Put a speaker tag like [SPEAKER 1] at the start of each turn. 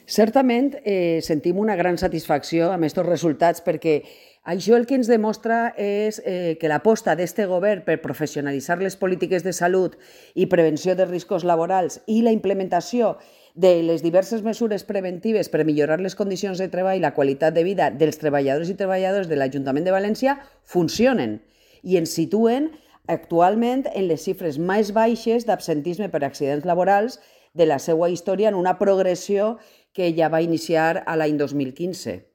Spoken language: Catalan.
[SPEAKER 1] Certament sentim una gran satisfacció amb aquests resultats perquè això el que ens demostra és que l'aposta d'aquest govern per professionalitzar les polítiques de salut i prevenció de riscos laborals i la implementació de les diverses mesures preventives per millorar les condicions de treball i la qualitat de vida dels treballadors i treballadores de l'Ajuntament de València funcionen i ens situen actualment en les xifres més baixes d'absentisme per accidents laborals de la seva història en una progressió que ja va iniciar a l'any 2015.